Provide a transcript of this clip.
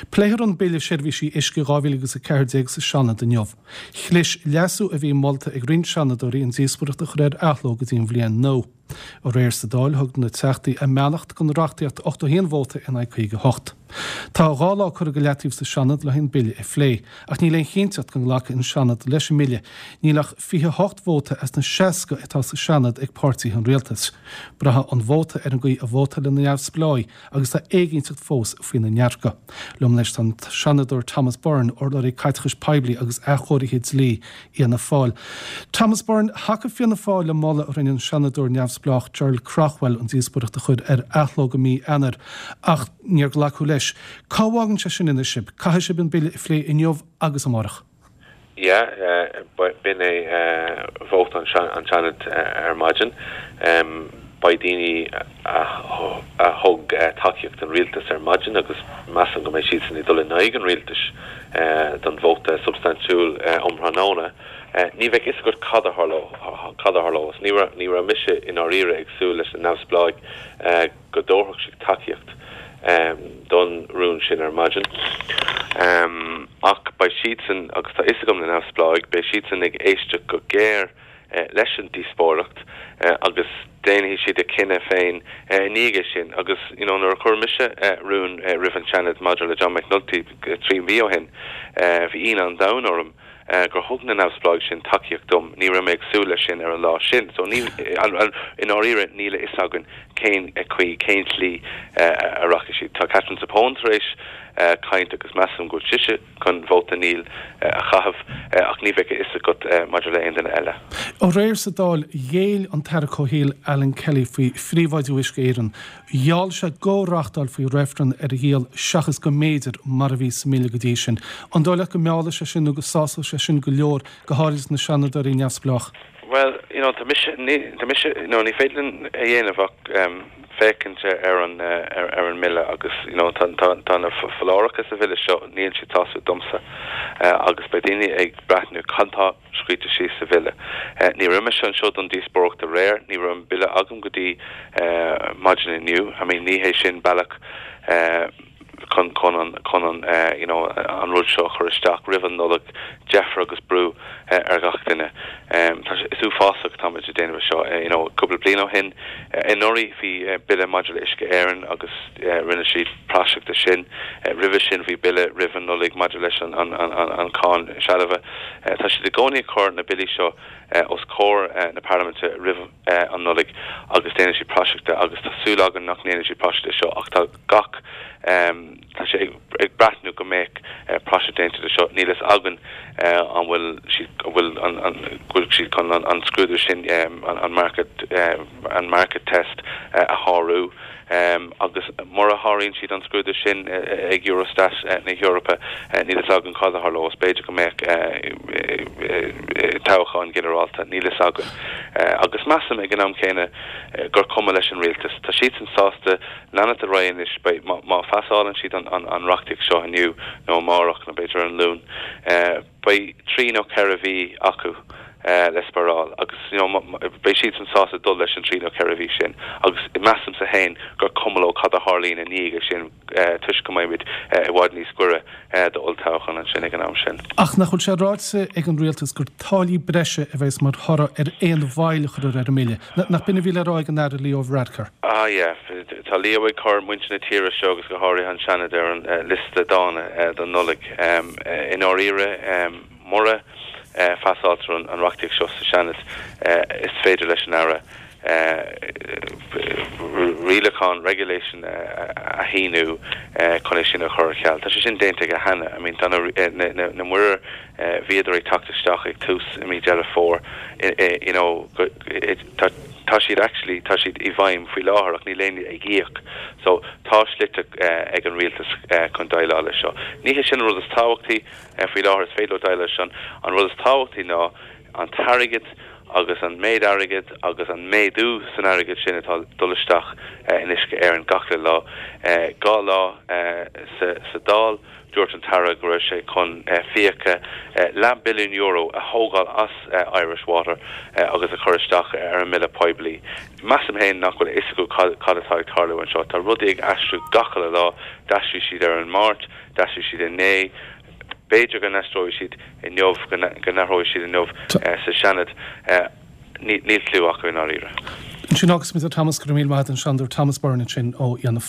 Pléifear an Bille Seirbhísí Uisce 2014 sa Seanad inniu. Chlis leasú a bhí molta ag roinnt Seanadóirí an díospóireacht a chur ar athló go dtí an bhliain nua. Aréir sa Dáil thug na Teachtaí a mbeannacht don reachtaíocht 81 vóta in aghaidh 58. Tá 2 lá curtha go leataobh sa Seanad le an bille a phlé, ach níl aon chinnteacht go nglacfaidh an Seanad leis an mbille. Níl ach 28 vóta as na 60 atá sa Seanad ag páirtithe an rialtais. Braithfidh an vóta ar an gcaoi a vótáilfidh na neamhspleáigh agus tá éiginnteacht fós faoina ndearcadh. Liom anois tá an Seanadóir Thomas Byrne, urlabhraí caiteachais poiblí agus athchóirithe dlí Fhianna Fáil. Thomas Byrne, Thacaigh Fianna Fáil le moladh a rinne an Seanadóir neamhspleách Gerald Craughwell an díospóireacht a chur ar athló go mí Eanáir ach níor glacadh leis. Cá bhfágann sé sin anois sibh? Caithfidh sibh an bille a phlé inniu agus amárach. Yeah, b'in é vóta an tSeanaid ar maidin. Beidh daoine a thug tacaíocht don rialtas ar maidin agus measaim go mbeidh siadsan ag dul in aghaidh an rialtais don vóta substaintiúil um thráthnóna. Ní bheidh fhios agat cad a tharlós. Ní raibh mise i ndáiríre ag súil leis na neamhspleáigh go dtabharfadh siad tacaíocht don rún sin ar maidin. Ach beidh siadsan, agus tá fhios agam na neamhspleáigh, beidh siadsan ag éisteacht go géar leis an díospóireacht agus déanfaidh siad a cinneadh féin i ndiaidh é sin. Agus you know nuair a chuir mise rún roimh an Seanad maidir le John McNulty 3 mhí ó shin, bhí ionadh an domhain orm gur thug na neamhspleáigh sin tacaíocht dom. Ní raibh mé ag súil leis sin ar an lá sin. So ní, i ndáiríre níl a fhios againn cén chaoi, cén tslí a rachaidh siad. Tá Katherine Zappone tar éis caint agus measaim go bhfuil sise chun vóta níl a chaitheamh ach ní bheidh a fhios agat maidir le aon duine eile. Aréir sa Dáil, ghéill an tAire Comhshaoil Alan Kelly faoi phríobháidiú Uisce Éireann. Gheall sé go reáchtálfaí reifreann ar a dhíol seachas go mb'fhéidir, mar a bhí sa mbille go dtí sin. An dóigh leat go meallfaidh sé sin nó go sásóidh sé sin go leor, go háirid na Seanadóirí neamhspleách? Bhuel, you know, tá mise, ní, tá mise, you know, ní féidir linn a dhéanamh ach féachaint ar an, ar an mbille agus, you know, tá, tá, tá na foláireacha sa bhille seo, níl siad sásúil domsa agus beidh daoine ag breathnú cad tá scríte síos sa bhille. Ní raibh mise anseo don díospóireacht aréir, ní raibh an bille agam go dtí maidin inniu. I mean, ní hé sin bealach chun chun an chun an you know an rud seo a chur isteach roimh an Nollaig, deifir agus brú ar gach duine. Tá sé is uafásach táimid ag déanamh é seo. You know, cúpla bliain ó shin, anuraidh bhí bille maidir le Uisce Éireann agus rinne siad praiseach de sin. Roimhe sin bhí bille roimh an Nollaig maidir leis an an cáin sealbha. Tá siad i gcónaí ag cur na billí seo os comhair na parlaiminte roimh an Nollaig agus déanann siad praiseach de agus tá súil againn nach ndéanfaidh siad praiseach de seo ach tá gach tá sé ag breathnú go mbeadh praiseach déanta de seo. Níl fhios againn an bhfuil siad an bhfuil an go bhfuil siad chun an scrúdú sin an market an market test a shárú. Agus mura sháraíonn siad an scrúdú sin ag Eurostat na hEorpa, níl fhios againn cad a tharlós. B'fhéidir go mbeadh toghchán ginearálta, níl fhios againn. Agus measaim ag an am céanna gur cuma leis an rialtas. Tá siadsan sásta leanacht ar aghaidh anois. Beidh, má phasálann siad an reachtaíocht seo inniu nó amárach nó b'fhéidir ar an Luan, Beidh trí nó 4 mhí acu le spáráil agus you know beidh siadsan sásta dul leis an trí nó 4 mhí sin agus measaimse féin gur cuma leo cad a tharlaíonn i ndiaidh sin toisc go mbeimid i bhfad níos gaire d'olltoghchán ansin ag an am sin. Ach nach bhfuil sé ráite ag an rialtas gur táillí breise a bheas mar thoradh ar aon mhoill a chuirfear ar an mbille? Nach b'in a bhí le rá ag an Aire Leo Varadkar? Ah yeah. Tá Leo ag cur muintir na tíre seo agus go háirithe an Seanad ar an liosta dána don Nollaig. I ndáiríre, mura bpasáiltear an reachtaíocht seo sa Seanad, is féidir leis an Aire rialachán, regulation, a shíniú chun é sin a chur ar ceal. Tá sé sin déanta aige cheana. I mean, tá na muirir, bhíodar ag teacht isteach ag tús i mí Deireadh Fómhair, you know, tá, Tá siad actually, tá siad i bhfeidhm faoi láthair ach níl éinne ag íoc. So tá slite ag an rialtas chun déileáil leis seo. Ní hé sin an rud is tábhachtaí faoi láthair, is féidir leo déileáil leis sin. An rud is tábhachtaí ná an t-airgead. Agus an méid airgid agus an méadú san airgead sin atá ag dul isteach in Uisce Éireann gach uile lá. 2 lá sa Dáil, dúirt an tAire go raibh sé chun fiacha leath billiún euro a thógáil as Irish Water agus a chur isteach ar an mbille poiblí. Measaim féin nach bhfuil a fhios acu cad atá ag tarlú anseo. Tá rudaí ag aistriú gach uile lá. D'aistrigh siad ar an Máirt, d'aistrigh siad inné. B'fhéidir go n-aistreoidh siad inniu, go n-athróidh siad inniu sa Seanad. Níl cliú acu i ndáiríre. Ansin agus muid Thomas, go raibh míle maith agat, an Seanadóir Thomas Byrne ansin ó Fhianna.